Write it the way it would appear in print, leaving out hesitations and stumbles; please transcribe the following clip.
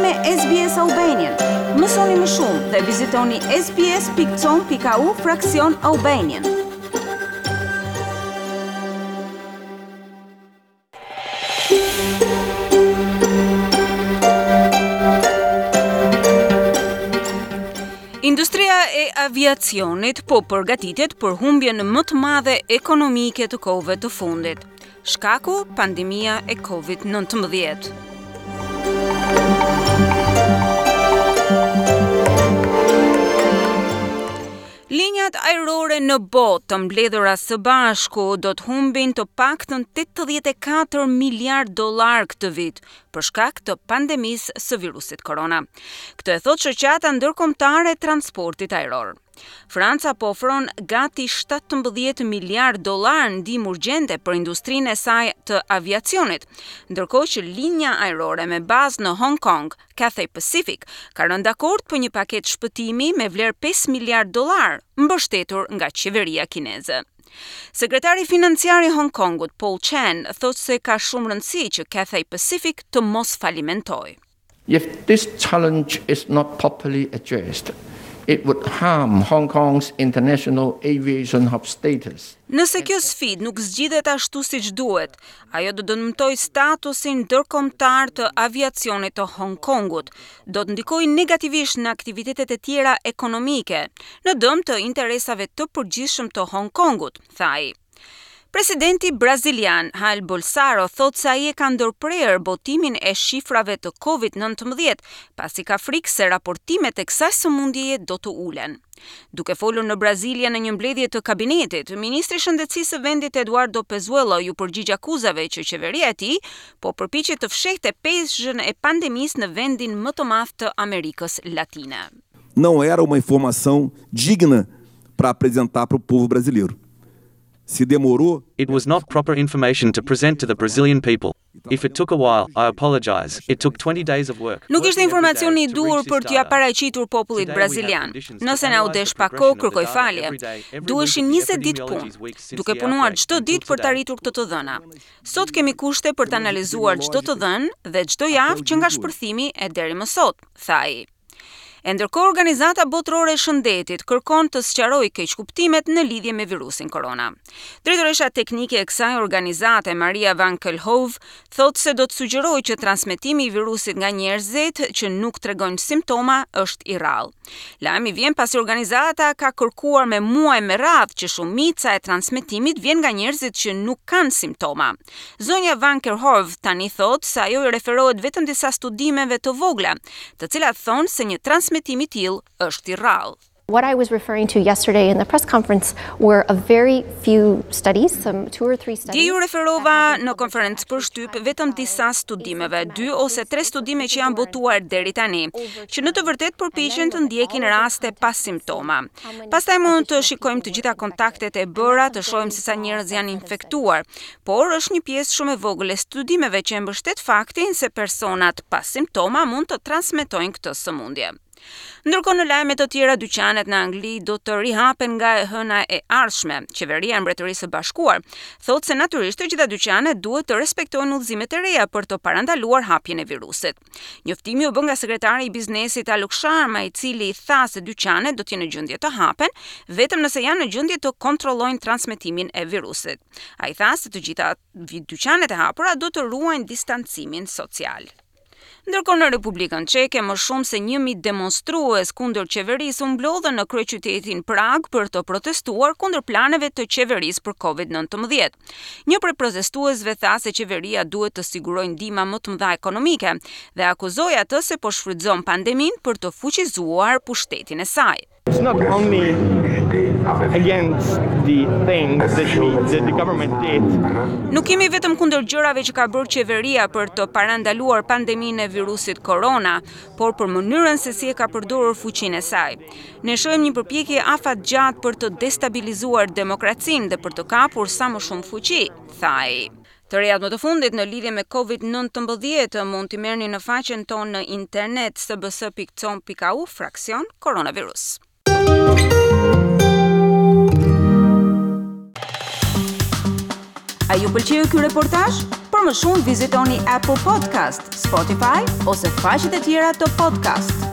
me SBS Albanian. Mësoni më shumë dhe vizitoni sbs.com.au fraksion Albanian. Industria e aviacionit po përgatitet për humbjen më të madhe ekonomike të kohëve të fundit. Shkaku, pandemia e Covid-19. Linjat ajrore në botë të mbledhura së bashku do të humbin të paktën 84 miliard dollarë këtë vit, për shkak të pandemisë së virusit korona. Këtë e thotë Shoqata Ndërkombëtare e Transportit Ajror. Franca po ofron gati 17 miliard dollarë ndihmë urgjente për industrinë e saj të aviacionit, ndërkohë që linja ajrore me bazë në Hong Kong, Cathay Pacific, ka rënë dakord për një paketë shpëtimi me vlerë 5 miliard dollarë, mbështetur nga qeveria kineze. Sekretari financiar i Hong Kongut, Paul Chan, thotë se ka shumë rëndësi që Cathay Pacific të mos falimentojë. If this challenge is not properly addressed, it would harm Hong Kong's international aviation hub status. Nëse kjo sfidë nuk zgjidhet ashtu siç duhet, ajo do dëmtojë statusin ndërkombëtar të aviacionit të Hong Kongut, do të ndikojë negativisht në aktivitetet e tjera ekonomike, në dëm të interesave të përgjithshëm të Hong Kongut, tha ai. Presidenti brazilian Jair Bolsonaro thotë se ai e ka ndërprerë botimin e shifrave të Covid-19, pasi ka frikë se raportimet e kësaj sëmundjeje do të ulen. Duke folur në Brazilia në një mbledhje të kabinetit, ministri i Shëndetësisë së vendit Eduardo Pazuello iu përgjigj akuzave që qeveria e tij po përpiqet të fshehte peshën e pandemisë në vendin më të madh të Amerikës Latine. Não era uma informação digna para apresentar para o povo brasileiro. Se demorou. It was not proper information to present to the Brazilian people. If it took a while, I apologize. It took 20 days of work. Nuk ishte informacioni i duhur për t'ia paraqitur popullit brazilian. Nëse na u desh pak kohë, kërkoj falje. Duheshin 20 ditë punë, duke punuar çdo ditë për të arritur këto të dhëna. Sot kemi kushte për të analizuar çdo të dhënë dhe çdo javë që nga shpërthimi e deri më sot, tha ai. E ndërkohë Organizata Botërore e Shëndetit kërkon të sqarojë keqkuptimet në lidhje me virusin korona. Drejtoresha teknike e kësaj organizate, Maria Van Kerkhove, thotë se do të sugjerojë që transmetimi i virusit nga njerëzit që nuk tregojnë simptoma është i rrallë. Lajmi vjen pasi organizata ka kërkuar me muaj me radhë që shumica e transmetimit vjen nga njerëzit që nuk kanë simptoma. Zonja Van Kerkhove tani thotë se ajo i referohet vetëm disa studimeve të vogla, të cilat thonë se një transmetim i tillë është i rrallë. What I was referring to yesterday in the press conference were a very few studies, some two or three studies. Dje iu referova në konferencë për shtyp vetëm disa studimeve, dy ose tre studime që janë botuar deri tani, që në të vërtetë përpiqen të ndjekin raste pa simptoma. Pastaj mund të shikojmë të gjitha kontaktet e bëra, të shohim se sa njerëz janë infektuar, por është një pjesë shumë e vogël e studimeve që e mbështet faktin se personat pa simptoma mund të transmetojnë këtë sëmundje. Ndërkohë në lajme të tjera, dyqanet në Angli do të rihapen nga e hëna e ardhshme. Qeveria e Mbretërisë së Bashkuar thotë se natyrisht të gjitha dyqanet duhet të respektojnë udhëzimet e reja për të parandaluar hapjen e virusit. Njoftimi u bë nga sekretari i biznesit Alok Sharma, i cili tha se dyqanet do të jenë në gjendje të hapen vetëm nëse janë në gjendje të kontrollojnë transmetimin e virusit. Ai tha se të gjitha dyqanet e hapura do të ruajnë distancimin social. Ndërkohë në Republikën Çeke, më shumë se 1000 demonstrues kundër qeverisë u mblodhën në kryeqytetin Prag për të protestuar kundër planeve të qeverisë për Covid-19. Një prej protestuesve tha se qeveria duhet të sigurojë ndihma më të mëdha ekonomike dhe akuzoi atë se po shfrytëzon pandeminë për të fuqizuar pushtetin e saj. It's not only against the things that, we, that the government did. Nuk jemi vetëm kundër gjërave që ka bërë qeveria për të parandaluar pandeminë e virusit korona, por për mënyrën se si e ka përdorur fuqinë e saj. Ne shohim një përpjekje afatgjatë për të destabilizuar demokracinë dhe për të kapur sa më shumë fuqi, tha ai. Të rejat më të fundit në lidhje me COVID-19 mund t'i merrni në faqen tonë në internet sbs.com.au fraksion koronavirus. A ju pëlqeu ky reportazh? Për Për më shumë vizitoni Apple Podcast, Spotify ose faqet e tjera të podcast.